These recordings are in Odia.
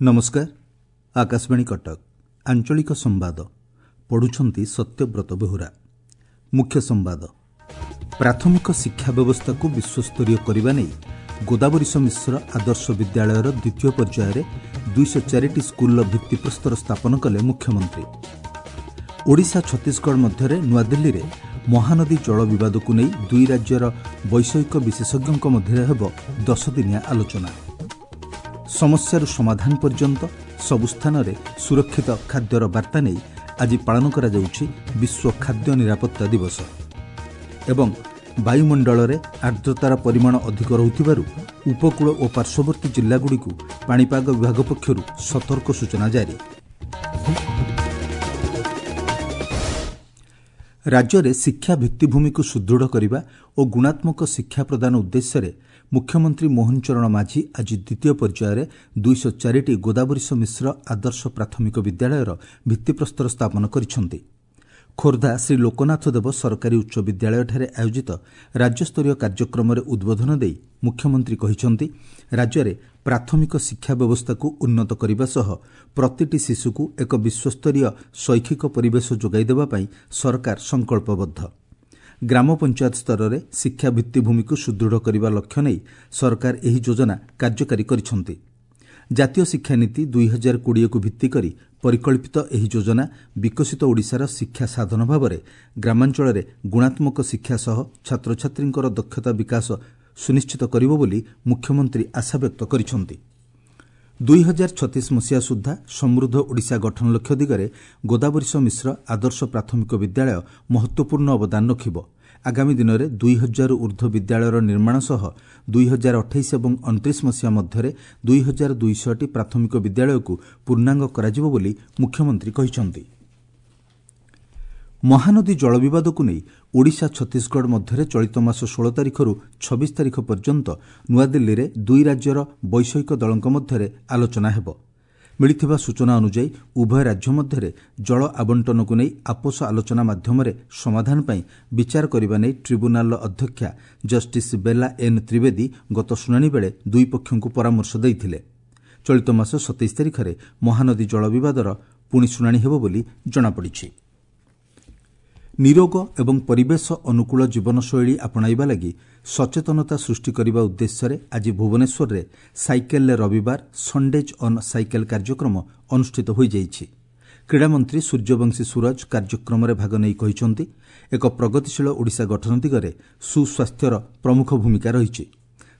ନମସ୍କାର, ଆକାଶବାଣୀ କଟକ, ଆଞ୍ଚଳିକ ସମ୍ବାଦ ପଢୁଛନ୍ତି ସତ୍ୟବ୍ରତ ବେହୁରା। ମୁଖ୍ୟ ସମ୍ବାଦ। ପ୍ରାଥମିକ ଶିକ୍ଷା ବ୍ୟବସ୍ଥାକୁ ବିଶ୍ୱସ୍ତରୀୟ କରିବା ନେଇ ଗୋଦାବରୀଶ ମିଶ୍ର ଆଦର୍ଶ ବିଦ୍ୟାଳୟର ଦ୍ୱିତୀୟ ପର୍ଯ୍ୟାୟରେ 204ଟି ସ୍କୁଲର ଭିତ୍ତିପ୍ରସ୍ତର ସ୍ଥାପନ କଲେ ମୁଖ୍ୟମନ୍ତ୍ରୀ। ଓଡ଼ିଶା ଛତିଶଗଡ଼ ମଧ୍ୟରେ ନୂଆଦିଲ୍ଲୀରେ ମହାନଦୀ ଜଳ ବିବାଦକୁ ନେଇ ଦୁଇ ରାଜ୍ୟର ବୈଷୟିକ ବିଶେଷଜ୍ଞଙ୍କ ମଧ୍ୟରେ ହେବ 10 ଦିନିଆ ଆଲୋଚନା। ସମସ୍ୟାରୁ ସମାଧାନ ପର୍ଯ୍ୟନ୍ତ ସବୁ ସ୍ଥାନରେ ସୁରକ୍ଷିତ ଖାଦ୍ୟର ବାର୍ତ୍ତା ନେଇ ଆଜି ପାଳନ କରାଯାଉଛି ବିଶ୍ୱ ଖାଦ୍ୟ ନିରାପତ୍ତା ଦିବସ। ଏବଂ ବାୟୁମଣ୍ଡଳରେ ଆର୍ଦ୍ରତାର ପରିମାଣ ଅଧିକ ରହୁଥିବାରୁ ଉପକୂଳ ଓ ପାର୍ଶ୍ୱବର୍ତ୍ତୀ ଜିଲ୍ଲାଗୁଡ଼ିକୁ ପାଣିପାଗ ବିଭାଗ ପକ୍ଷରୁ ସତର୍କ ସୂଚନା ଜାରି। ରାଜ୍ୟରେ ଶିକ୍ଷା ଭିତ୍ତିଭୂମିକୁ ସୁଦୃଢ଼ କରିବା ଓ ଗୁଣାତ୍ମକ ଶିକ୍ଷା ପ୍ରଦାନ ଉଦ୍ଦେଶ୍ୟରେ ମୁଖ୍ୟମନ୍ତ୍ରୀ ମୋହନ ଚରଣ ମାଝୀ ଆଜି ଦ୍ୱିତୀୟ ପର୍ଯ୍ୟାୟରେ 204ଟି ଗୋଦାବରୀଶ ମିଶ୍ର ଆଦର୍ଶ ପ୍ରାଥମିକ ବିଦ୍ୟାଳୟର ଭିତ୍ତିପ୍ରସ୍ତର ସ୍ଥାପନ କରିଛନ୍ତି। ଖୋର୍ଦ୍ଧା ଶ୍ରୀ ଲୋକନାଥ ଦେବ ସରକାରୀ ଉଚ୍ଚ ବିଦ୍ୟାଳୟଠାରେ ଆୟୋଜିତ ରାଜ୍ୟସ୍ତରୀୟ କାର୍ଯ୍ୟକ୍ରମରେ ଉଦ୍ବୋଧନ ଦେଇ ମୁଖ୍ୟମନ୍ତ୍ରୀ କହିଛନ୍ତି, ରାଜ୍ୟରେ ପ୍ରାଥମିକ ଶିକ୍ଷା ବ୍ୟବସ୍ଥାକୁ ଉନ୍ନତ କରିବା ସହ ପ୍ରତିଟି ଶିଶୁକୁ ଏକ ବିଶ୍ୱସ୍ତରୀୟ ଶୈକ୍ଷିକ ପରିବେଶ ଯୋଗାଇ ଦେବା ପାଇଁ ସରକାର ସଂକଳ୍ପବଦ୍ଧ। ଗ୍ରାମ ପଞ୍ଚାୟତ ସ୍ତରରେ ଶିକ୍ଷା ଭିତ୍ତିଭୂମିକୁ ସୁଦୃଢ଼ କରିବା ଲକ୍ଷ୍ୟ ନେଇ ସରକାର ଏହି ଯୋଜନା କାର୍ଯ୍ୟକାରୀ କରିଛନ୍ତି। ଜାତୀୟ ଶିକ୍ଷାନୀତି 2020କୁ ଭିତ୍ତିକରି ପରିକଳ୍ପିତ ଏହି ଯୋଜନା ବିକଶିତ ଓଡ଼ିଶାର ଶିକ୍ଷା ସାଧନ ଭାବରେ ଗ୍ରାମାଞ୍ଚଳରେ ଗୁଣାତ୍ମକ ଶିକ୍ଷା ସହ ଛାତ୍ରଛାତ୍ରୀଙ୍କର ଦକ୍ଷତା ବିକାଶ ସୁନିଶ୍ଚିତ କରିବ ବୋଲି ମୁଖ୍ୟମନ୍ତ୍ରୀ ଆଶାବ୍ୟକ୍ତ କରିଛନ୍ତି। 2036 ମସିହା ସୁଦ୍ଧା ସମୃଦ୍ଧ ଓଡ଼ିଶା ଗଠନ ଲକ୍ଷ୍ୟ ଦିଗରେ ଗୋଦାବରୀଶ ମିଶ୍ର ଆଦର୍ଶ ପ୍ରାଥମିକ ବିଦ୍ୟାଳୟ ମହତ୍ତ୍ୱପୂର୍ଣ୍ଣ ଅବଦାନ ରଖିବ। ଆଗାମୀ ଦିନରେ 2000ରୁ ଉର୍ଦ୍ଧ୍ୱ ବିଦ୍ୟାଳୟର ନିର୍ମାଣ ସହ 2028 ଏବଂ 29 ମସିହା ମଧ୍ୟରେ 2200ଟି ପ୍ରାଥମିକ ବିଦ୍ୟାଳୟକୁ ପୂର୍ଣ୍ଣାଙ୍ଗ କରାଯିବ ବୋଲି ମୁଖ୍ୟମନ୍ତ୍ରୀ କହିଛନ୍ତି। ମହାନଦୀ ଜଳ ବିବାଦକୁ ନେଇ ଓଡ଼ିଶା ଛତିଶଗଡ଼ ମଧ୍ୟରେ ଚଳିତ ମାସ 16 ତାରିଖରୁ 26 ତାରିଖ ପର୍ଯ୍ୟନ୍ତ ନୂଆଦିଲ୍ଲୀରେ ଦୁଇ ରାଜ୍ୟର ବୈଷୟିକ ଦଳଙ୍କ ମଧ୍ୟରେ ଆଲୋଚନା ହେବ। ମିଳିଥିବା ସୂଚନା ଅନୁଯାୟୀ ଉଭୟ ରାଜ୍ୟ ମଧ୍ୟରେ ଜଳ ଆବଣ୍ଟନକୁ ନେଇ ଆପୋଷ ଆଲୋଚନା ମାଧ୍ୟମରେ ସମାଧାନ ପାଇଁ ବିଚାର କରିବା ନେଇ ଟ୍ରିବ୍ୟୁନାଲର ଅଧ୍ୟକ୍ଷା ଜଷ୍ଟିସ୍ ବେଲା ଏନ୍ ତ୍ରିବେଦୀ ଗତ ଶୁଣାଣି ବେଳେ ଦୁଇ ପକ୍ଷଙ୍କୁ ପରାମର୍ଶ ଦେଇଥିଲେ। ଚଳିତ ମାସ 27 ତାରିଖରେ ମହାନଦୀ ଜଳ ବିବାଦର ପୁଣି ଶୁଣାଣି ହେବ ବୋଲି ଜଣାପଡ଼ିଛି। ନିରୋଗ ଏବଂ ପରିବେଶ ଅନୁକୂଳ ଜୀବନଶୈଳୀ ଆପଣାଇବା ଲାଗି ସଚେତନତା ସୃଷ୍ଟି କରିବା ଉଦ୍ଦେଶ୍ୟରେ ଆଜି ଭୁବନେଶ୍ୱରରେ ସାଇକେଲରେ ରବିବାର ସଣ୍ଡେଜ୍ ଅନ୍ ସାଇକେଲ କାର୍ଯ୍ୟକ୍ରମ ଅନୁଷ୍ଠିତ ହୋଇଯାଇଛି। କ୍ରୀଡ଼ାମନ୍ତ୍ରୀ ସୂର୍ଯ୍ୟବଂଶୀ ସୂରଜ କାର୍ଯ୍ୟକ୍ରମରେ ଭାଗ ନେଇ କହିଛନ୍ତି, ଏକ ପ୍ରଗତିଶୀଳ ଓଡ଼ିଶା ଗଠନ ଦିଗରେ ସୁସ୍ୱାସ୍ଥ୍ୟର ପ୍ରମୁଖ ଭୂମିକା ରହିଛି।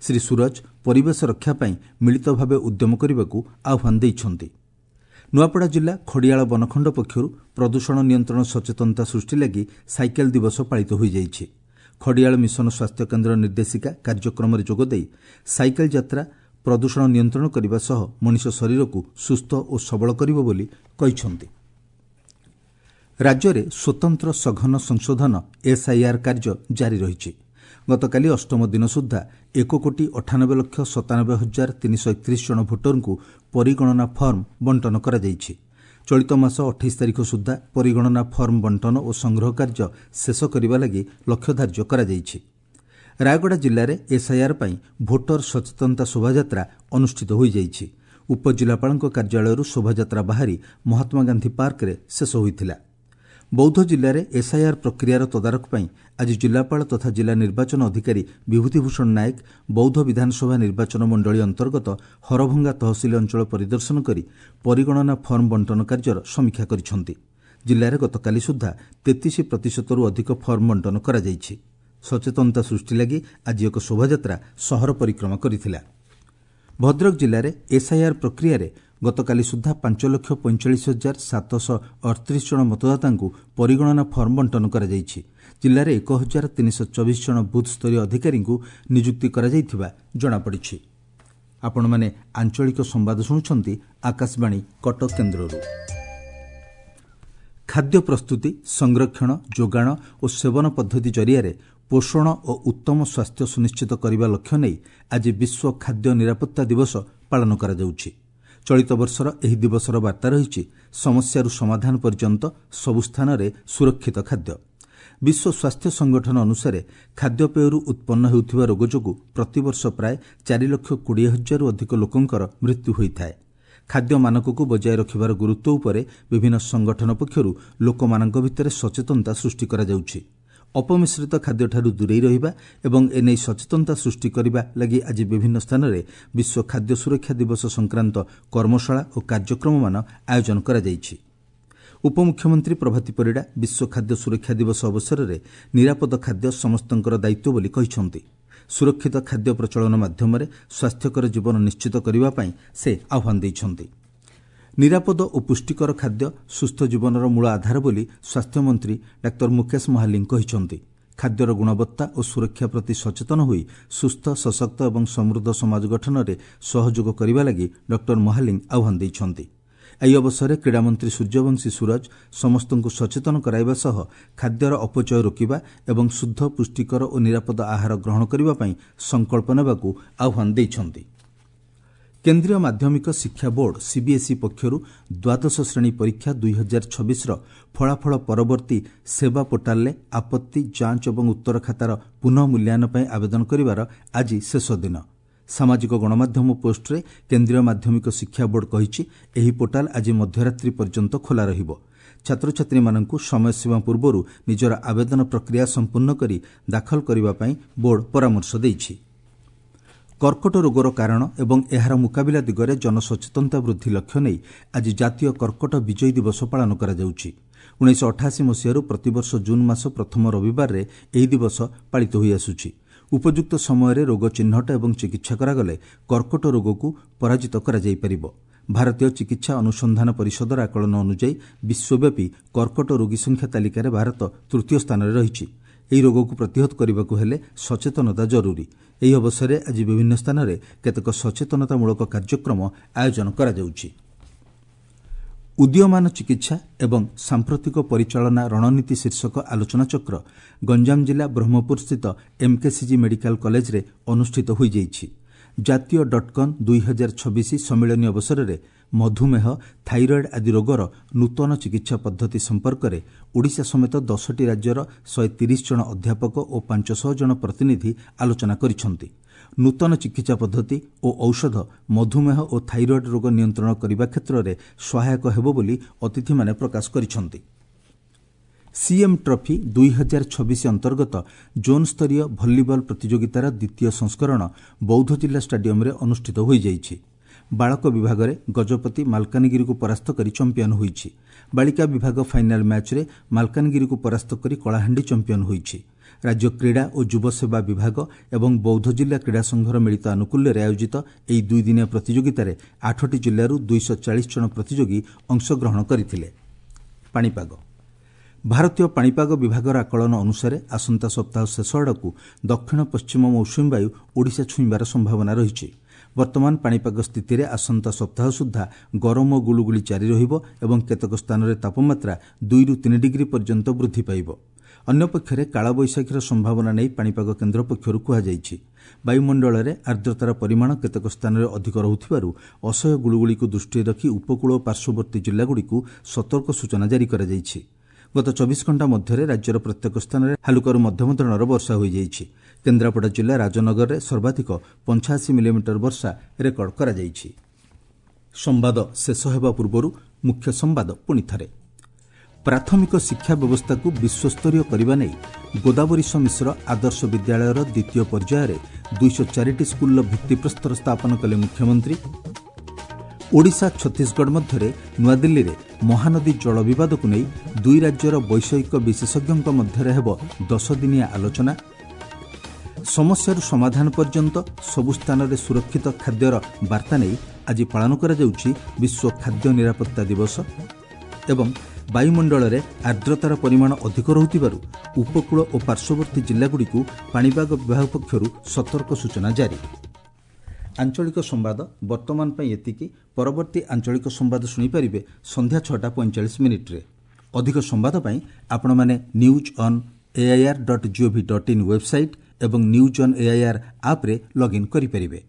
ଶ୍ରୀ ସୂରଜ ପରିବେଶ ରକ୍ଷା ପାଇଁ ମିଳିତ ଭାବେ ଉଦ୍ୟମ କରିବାକୁ ଆହ୍ୱାନ ଦେଇଛନ୍ତି। ନୂଆପଡ଼ା ଜିଲ୍ଲା ଖଡ଼ିଆଳ ବନଖଣ୍ଡ ପକ୍ଷରୁ ପ୍ରଦୂଷଣ ନିୟନ୍ତ୍ରଣ ସଚେତନତା ସୃଷ୍ଟି ଲାଗି ସାଇକେଲ ଦିବସ ପାଳିତ ହୋଇଯାଇଛି। ଖଡ଼ିଆଳ ମିଶନ ସ୍ୱାସ୍ଥ୍ୟକେନ୍ଦ୍ର ନିର୍ଦ୍ଦେଶିକା କାର୍ଯ୍ୟକ୍ରମରେ ଯୋଗଦେଇ ସାଇକେଲ ଯାତ୍ରା ପ୍ରଦୂଷଣ ନିୟନ୍ତ୍ରଣ କରିବା ସହ ମଣିଷ ଶରୀରକୁ ସୁସ୍ଥ ଓ ସବଳ କରିବ ବୋଲି କହିଛନ୍ତି। ରାଜ୍ୟରେ ସ୍ୱତନ୍ତ୍ର ସଘନ ସଂଶୋଧନ ଏସ୍ଆଇଆର୍ କାର୍ଯ୍ୟ ଜାରି ରହିଛି। ଗତକାଲି ଅଷ୍ଟମ ଦିନ ସୁଦ୍ଧା 1,98,97,331 ଜଣ ଭୋଟରଙ୍କୁ ପରିଗଣନା ଫର୍ମ ବଣ୍ଟନ କରାଯାଇଛି। ଚଳିତ ମାସ 28 ତାରିଖ ସୁଦ୍ଧା ପରିଗଣନା ଫର୍ମ ବଣ୍ଟନ ଓ ସଂଗ୍ରହ କାର୍ଯ୍ୟ ଶେଷ କରିବା ଲାଗି ଲକ୍ଷ୍ୟ ଧାର୍ଯ୍ୟ କରାଯାଇଛି। ରାୟଗଡ଼ା ଜିଲ୍ଲାରେ ଏସ୍ଆଇଆର୍ ପାଇଁ ଭୋଟର ସଚେତନତା ଶୋଭାଯାତ୍ରା ଅନୁଷ୍ଠିତ ହୋଇଯାଇଛି। ଉପଜିଲ୍ଲାପାଳଙ୍କ କାର୍ଯ୍ୟାଳୟରୁ ଶୋଭାଯାତ୍ରା ବାହାରି ମହାତ୍ମାଗାନ୍ଧୀ ପାର୍କରେ ଶେଷ ହୋଇଥିଲା। ବୌଦ୍ଧ ଜିଲ୍ଲାରେ ଏସ୍ଆଇଆର୍ ପ୍ରକ୍ରିୟାର ତଦାରଖ ପାଇଁ ଆଜି ଜିଲ୍ଲାପାଳ ତଥା ଜିଲ୍ଲା ନିର୍ବାଚନ ଅଧିକାରୀ ବିଭୂତିଭୂଷଣ ନାୟକ ବୌଦ୍ଧ ବିଧାନସଭା ନିର୍ବାଚନ ମଣ୍ଡଳୀ ଅନ୍ତର୍ଗତ ହରଭଙ୍ଗା ତହସିଲ ଅଞ୍ଚଳ ପରିଦର୍ଶନ କରି ପରିଗଣନା ଫର୍ମ ବଣ୍ଟନ କାର୍ଯ୍ୟର ସମୀକ୍ଷା କରିଛନ୍ତି। ଜିଲ୍ଲାରେ ଗତକାଲି ସୁଦ୍ଧା 33%ରୁ ଅଧିକ ଫର୍ମ ବଣ୍ଟନ କରାଯାଇଛି। ସଚେତନତା ସୃଷ୍ଟି ଲାଗି ଆଜି ଏକ ଶୋଭାଯାତ୍ରା ସହର ପରିକ୍ରମା କରିଥିଲା। ଭଦ୍ରକ ଜିଲ୍ଲାରେ ଏସ୍ଆଇଆର୍ ପ୍ରକ୍ରିୟାରେ ଗତକାଲି ସୁଦ୍ଧା 5,45,738 ଜଣ ମତଦାତାଙ୍କୁ ପରିଗଣନା ଫର୍ମ ବଣ୍ଟନ କରାଯାଇଛି। ଜିଲ୍ଲାରେ 1,324 ଜଣ ବୁଥ୍ସ୍ତରୀୟ ଅଧିକାରୀଙ୍କୁ ନିଯୁକ୍ତି କରାଯାଇଥିବା ଜଣାପଡ଼ିଛି। ଆପଣମାନେ ଆଞ୍ଚଳିକ ସମ୍ବାଦ ଶୁଣୁଛନ୍ତି ଆକାଶବାଣୀ କଟକ କେନ୍ଦ୍ରରୁ। ଖାଦ୍ୟ ପ୍ରସ୍ତୁତି, ସଂରକ୍ଷଣ, ଯୋଗାଣ ଓ ସେବନ ପଦ୍ଧତି ଜରିଆରେ ପୋଷଣ ଓ ଉତ୍ତମ ସ୍ୱାସ୍ଥ୍ୟ ସୁନିଶ୍ଚିତ କରିବା ଲକ୍ଷ୍ୟ ନେଇ ଆଜି ବିଶ୍ୱ ଖାଦ୍ୟ ନିରାପତ୍ତା ଦିବସ ପାଳନ କରାଯାଉଛି। ଚଳିତ ବର୍ଷର ଏହି ଦିବସର ବାର୍ତ୍ତା ରହିଛି ସମସ୍ୟାରୁ ସମାଧାନ ପର୍ଯ୍ୟନ୍ତ ସବୁ ସ୍ଥାନରେ ସୁରକ୍ଷିତ ଖାଦ୍ୟ। ବିଶ୍ୱ ସ୍ୱାସ୍ଥ୍ୟ ସଂଗଠନ ଅନୁସାରେ ଖାଦ୍ୟପେୟରୁ ଉତ୍ପନ୍ନ ହେଉଥିବା ରୋଗ ଯୋଗୁଁ ପ୍ରତିବର୍ଷ ପ୍ରାୟ 4,20,000ରୁ ଅଧିକ ଲୋକଙ୍କର ମୃତ୍ୟୁ ହୋଇଥାଏ। ଖାଦ୍ୟ ମାନକକୁ ବଜାୟ ରଖିବାର ଗୁରୁତ୍ୱ ଉପରେ ବିଭିନ୍ନ ସଂଗଠନ ପକ୍ଷରୁ ଲୋକମାନଙ୍କ ଭିତରେ ସଚେତନତା ସୃଷ୍ଟି କରାଯାଉଛି। ଅପମିଶ୍ରିତ ଖାଦ୍ୟଠାରୁ ଦୂରେଇ ରହିବା ଏବଂ ଏନେଇ ସଚେତନତା ସୃଷ୍ଟି କରିବା ଲାଗି ଆଜି ବିଭିନ୍ନ ସ୍ଥାନରେ ବିଶ୍ୱ ଖାଦ୍ୟ ସୁରକ୍ଷା ଦିବସ ସଂକ୍ରାନ୍ତ କର୍ମଶାଳା ଓ କାର୍ଯ୍ୟକ୍ରମମାନ ଆୟୋଜନ କରାଯାଇଛି। ଉପମୁଖ୍ୟମନ୍ତ୍ରୀ ପ୍ରଭାତୀ ପରିଡ଼ା ବିଶ୍ୱ ଖାଦ୍ୟ ସୁରକ୍ଷା ଦିବସ ଅବସରରେ ନିରାପଦ ଖାଦ୍ୟ ସମସ୍ତଙ୍କର ଦାୟିତ୍ୱ ବୋଲି କହିଛନ୍ତି। ସୁରକ୍ଷିତ ଖାଦ୍ୟ ପ୍ରଚଳନ ମାଧ୍ୟମରେ ସ୍ୱାସ୍ଥ୍ୟକର ଜୀବନ ନିଶ୍ଚିତ କରିବା ପାଇଁ ସେ ଆହ୍ୱାନ ଦେଇଛନ୍ତି। ନିରାପଦ ଓ ପୁଷ୍ଟିକର ଖାଦ୍ୟ ସୁସ୍ଥ ଜୀବନର ମୂଳ ଆଧାର ବୋଲି ସ୍ୱାସ୍ଥ୍ୟମନ୍ତ୍ରୀ ଡାକ୍ତର ମୁକେଶ ମହାଲିଙ୍ଗ କହିଛନ୍ତି। ଖାଦ୍ୟର ଗୁଣବତ୍ତା ଓ ସୁରକ୍ଷା ପ୍ରତି ସଚେତନ ହୋଇ ସୁସ୍ଥ, ସଶକ୍ତ ଏବଂ ସମୃଦ୍ଧ ସମାଜ ଗଠନରେ ସହଯୋଗ କରିବା ଲାଗି ଡକ୍ଟର ମହାଲିଙ୍ଗ ଆହ୍ୱାନ ଦେଇଛନ୍ତି। ଏହି ଅବସରରେ କ୍ରୀଡ଼ାମନ୍ତ୍ରୀ ସୂର୍ଯ୍ୟବଂଶୀ ସୂରଜ ସମସ୍ତଙ୍କୁ ସଚେତନ କରାଇବା ସହ ଖାଦ୍ୟର ଅପଚୟ ରୋକିବା ଏବଂ ଶୁଦ୍ଧ, ପୁଷ୍ଟିକର ଓ ନିରାପଦ ଆହାର ଗ୍ରହଣ କରିବା ପାଇଁ ସଂକଳ୍ପ ନେବାକୁ ଆହ୍ୱାନ ଦେଇଛନ୍ତି। କେନ୍ଦ୍ରୀୟ ମାଧ୍ୟମିକ ଶିକ୍ଷା ବୋର୍ଡ ସିବିଏସ୍ଇ ପକ୍ଷରୁ ଦ୍ୱାଦଶ ଶ୍ରେଣୀ ପରୀକ୍ଷା 2026ର ଫଳାଫଳ ପରବର୍ତ୍ତୀ ସେବା ପୋର୍ଟାଲରେ ଆପତ୍ତି, ଯାଞ୍ଚ ଏବଂ ଉତ୍ତର ଖାତାର ପୁନଃ ମୂଲ୍ୟାୟନ ପାଇଁ ଆବେଦନ କରିବାର ଆଜି ଶେଷ ଦିନ। ସାମାଜିକ ଗଣମାଧ୍ୟମ ପୋଷ୍ଟରେ କେନ୍ଦ୍ରୀୟ ମାଧ୍ୟମିକ ଶିକ୍ଷା ବୋର୍ଡ କହିଛି, ଏହି ପୋର୍ଟାଲ ଆଜି ମଧ୍ୟରାତ୍ରି ପର୍ଯ୍ୟନ୍ତ ଖୋଲା ରହିବ। ଛାତ୍ରଛାତ୍ରୀମାନଙ୍କୁ ସମୟସୀମା ପୂର୍ବରୁ ନିଜର ଆବେଦନ ପ୍ରକ୍ରିୟା ସମ୍ପୂର୍ଣ୍ଣ କରି ଦାଖଲ କରିବା ପାଇଁ ବୋର୍ଡ ପରାମର୍ଶ ଦେଇଛି। କର୍କଟ ରୋଗର କାରଣ ଏବଂ ଏହାର ମୁକାବିଲା ଦିଗରେ ଜନସଚେତନତା ବୃଦ୍ଧି ଲକ୍ଷ୍ୟ ନେଇ ଆଜି ଜାତୀୟ କର୍କଟ ବିଜୟୀ ଦିବସ ପାଳନ କରାଯାଉଛି। 1988 ମସିହାରୁ ପ୍ରତିବର୍ଷ ଜୁନ୍ ମାସ ପ୍ରଥମ ରବିବାରରେ ଏହି ଦିବସ ପାଳିତ ହୋଇଆସୁଛି। ଉପଯୁକ୍ତ ସମୟରେ ରୋଗ ଚିହ୍ନଟ ଏବଂ ଚିକିତ୍ସା କରାଗଲେ କର୍କଟ ରୋଗକୁ ପରାଜିତ କରାଯାଇପାରିବ। ଭାରତୀୟ ଚିକିତ୍ସା ଅନୁସନ୍ଧାନ ପରିଷଦର ଆକଳନ ଅନୁଯାୟୀ ବିଶ୍ୱବ୍ୟାପୀ କର୍କଟ ରୋଗୀ ସଂଖ୍ୟା ତାଲିକାରେ ଭାରତ ତୃତୀୟ ସ୍ଥାନରେ ରହିଛି। ଏହି ରୋଗକୁ ପ୍ରତିହତ କରିବାକୁ ହେଲେ ସଚେତନତା ଜରୁରୀ। ଏହି ଅବସରରେ ଆଜି ବିଭିନ୍ନ ସ୍ଥାନରେ କେତେକ ସଚେତନତାମୂଳକ କାର୍ଯ୍ୟକ୍ରମ ଆୟୋଜନ କରାଯାଉଛି। ଉଦୀୟମାନ ଚିକିତ୍ସା ଏବଂ ସାମ୍ପ୍ରତିକ ପରିଚାଳନା ରଣନୀତି ଶୀର୍ଷକ ଆଲୋଚନାଚକ୍ର ଗଞ୍ଜାମ ଜିଲ୍ଲା ବ୍ରହ୍ମପୁରସ୍ଥିତ ଏମ୍କେସିଜି ମେଡିକାଲ କଲେଜରେ ଅନୁଷ୍ଠିତ ହୋଇଯାଇଛି। ଜାତୀୟ ଡଟ୍କନ୍ 2026 ସମ୍ମିଳନୀ ଅବସରରେ ମଧୁମେହ, ଥାଇରଏଡ୍ ଆଦି ରୋଗର ନୂତନ ଚିକିତ୍ସା ପଦ୍ଧତି ସମ୍ପର୍କରେ ଓଡ଼ିଶା ସମେତ 10ଟି ରାଜ୍ୟର 130 ଜଣ ଅଧ୍ୟାପକ ଓ 500 ଜଣ ପ୍ରତିନିଧି ଆଲୋଚନା କରିଛନ୍ତି। ନୂତନ ଚିକିତ୍ସା ପଦ୍ଧତି ଓ ଔଷଧ ମଧୁମେହ ଓ ଥାଇରଏଡ୍ ରୋଗ ନିୟନ୍ତ୍ରଣ କରିବା କ୍ଷେତ୍ରରେ ସହାୟକ ହେବ ବୋଲି ଅତିଥିମାନେ ପ୍ରକାଶ କରିଛନ୍ତି। ସିଏମ୍ ଟ୍ରଫି 2026 ଅନ୍ତର୍ଗତ ଜୋନ୍ ସ୍ତରୀୟ ଭଲିବଲ ପ୍ରତିଯୋଗିତାର ଦ୍ୱିତୀୟ ସଂସ୍କରଣ ବୌଦ୍ଧ ଜିଲ୍ଲା ଷ୍ଟାଡିୟମରେ ଅନୁଷ୍ଠିତ ହୋଇଯାଇଛି। ବାଳକ ବିଭାଗରେ ଗଜପତି ମାଲକାନଗିରିକୁ ପରାସ୍ତ କରି ଚମ୍ପିଆନ ହୋଇଛି। ବାଳିକା ବିଭାଗ ଫାଇନାଲ ମ୍ୟାଚ୍ରେ ମାଲକାନଗିରିକୁ ପରାସ୍ତ କରି କଳାହାଣ୍ଡି ଚମ୍ପିଆନ ହୋଇଛି। ରାଜ୍ୟ କ୍ରୀଡ଼ା ଓ ଯୁବସେବା ବିଭାଗ ଏବଂ ବୌଦ୍ଧ ଜିଲ୍ଲା କ୍ରୀଡ଼ା ସଂଘର ମିଳିତ ଆନୁକୂଲ୍ୟରେ ଆୟୋଜିତ ଏହି ଦୁଇଦିନିଆ ପ୍ରତିଯୋଗିତାରେ 8ଟି ଜିଲ୍ଲାରୁ 240 ଜଣ ପ୍ରତିଯୋଗୀ ଅଂଶଗ୍ରହଣ କରିଥିଲେ। ପାଣିପାଗ। ଭାରତୀୟ ପାଣିପାଗ ବିଭାଗର ଆକଳନ ଅନୁସାରେ ଆସନ୍ତା ସପ୍ତାହ ଶେଷ ଆଡ଼କୁ ଦକ୍ଷିଣ ପଶ୍ଚିମ ମୌସୁମୀ ବାୟୁ ଓଡ଼ିଶା ଛୁଇଁବାର ସମ୍ଭାବନା ରହିଛି। ବର୍ତ୍ତମାନ ପାଣିପାଗ ସ୍ଥିତିରେ ଆସନ୍ତା ସପ୍ତାହ ସୁଦ୍ଧା ଗରମ ଓ ଗୁଳୁଗୁଳି ଜାରି ରହିବ ଏବଂ କେତେକ ସ୍ଥାନରେ ତାପମାତ୍ରା 2ରୁ 3 ଡିଗ୍ରୀ ପର୍ଯ୍ୟନ୍ତ ବୃଦ୍ଧି ପାଇବ। ଅନ୍ୟପକ୍ଷରେ କାଳବୈଶାଖୀର ସମ୍ଭାବନା ନେଇ ପାଣିପାଗ କେନ୍ଦ୍ର ପକ୍ଷରୁ କୁହାଯାଇଛି। ବାୟୁମଣ୍ଡଳରେ ଆର୍ଦ୍ରତାର ପରିମାଣ କେତେକ ସ୍ଥାନରେ ଅଧିକ ରହୁଥିବାରୁ ଅସହ୍ୟ ଗୁଳୁଗୁଳିକୁ ଦୃଷ୍ଟିରେ ରଖି ଉପକୂଳ ଓ ପାର୍ଶ୍ୱବର୍ତ୍ତୀ ଜିଲ୍ଲାଗୁଡ଼ିକୁ ସତର୍କ ସୂଚନା ଜାରି କରାଯାଇଛି। ଗତ 24 ଘଣ୍ଟା ମଧ୍ୟରେ ରାଜ୍ୟର ପ୍ରତ୍ୟେକ ସ୍ଥାନରେ ହାଲୁକାରୁ ମଧ୍ୟମ ଧରଣର ବର୍ଷା ହୋଇଯାଇଛି। କେନ୍ଦ୍ରାପଡ଼ା ଜିଲ୍ଲା ରାଜନଗରରେ ସର୍ବାଧିକ 85 ମିଲିମିଟର ବର୍ଷା ରେକର୍ଡ କରାଯାଇଛି। ସମ୍ବାଦ ଶେଷ ହେବା ପୂର୍ବରୁ ମୁଖ୍ୟ ସମ୍ବାଦ ପୁଣିଥରେ। ପ୍ରାଥମିକ ଶିକ୍ଷା ବ୍ୟବସ୍ଥାକୁ ବିଶ୍ୱସ୍ତରୀୟ କରିବା ନେଇ ଗୋଦାବରୀଶ ମିଶ୍ର ଆଦର୍ଶ ବିଦ୍ୟାଳୟର ଦ୍ୱିତୀୟ ପର୍ଯ୍ୟାୟରେ 204ଟି ସ୍କୁଲର ଭିତ୍ତିପ୍ରସ୍ତର ସ୍ଥାପନ କଲେ ମୁଖ୍ୟମନ୍ତ୍ରୀ। ଓଡ଼ିଶା ଛତିଶଗଡ଼ ମଧ୍ୟରେ ନୂଆଦିଲ୍ଲୀରେ ମହାନଦୀ ଜଳ ବିବାଦକୁ ନେଇ ଦୁଇ ରାଜ୍ୟର ବୈଷୟିକ ବିଶେଷଜ୍ଞଙ୍କ ମଧ୍ୟରେ ହେବ 10 ଦିନିଆ ଆଲୋଚନା। ସମସ୍ୟାରୁ ସମାଧାନ ପର୍ଯ୍ୟନ୍ତ ସବୁ ସ୍ଥାନରେ ସୁରକ୍ଷିତ ଖାଦ୍ୟର ବାର୍ତ୍ତା ନେଇ ଆଜି ପାଳନ କରାଯାଉଛି ବିଶ୍ୱ ଖାଦ୍ୟ ନିରାପତ୍ତା ଦିବସ। ଏବଂ ବାୟୁମଣ୍ଡଳରେ ଆର୍ଦ୍ରତାର ପରିମାଣ ଅଧିକ ରହୁଥିବାରୁ ଉପକୂଳ ଓ ପାର୍ଶ୍ୱବର୍ତ୍ତୀ ଜିଲ୍ଲାଗୁଡ଼ିକୁ ପାଣିପାଗ ବିଭାଗ ପକ୍ଷରୁ ସତର୍କ ସୂଚନା ଜାରି। ଆଞ୍ଚଳିକ ସମ୍ବାଦ ବର୍ତ୍ତମାନ ପାଇଁ ଏତିକି। ପରବର୍ତ୍ତୀ ଆଞ୍ଚଳିକ ସମ୍ବାଦ ଶୁଣିପାରିବେ ସନ୍ଧ୍ୟା 6ଟା 45 ମିନିଟ୍ରେ। ଅଧିକ ସମ୍ବାଦ ପାଇଁ ଆପଣମାନେ newson.air.gov.in website ଏବଂ ନ୍ୟୁଜ୍ ଅନ୍ ଏଆଇଆର୍ ଆପ୍ରେ ଲଗ୍ଇନ୍ କରିପାରିବେ।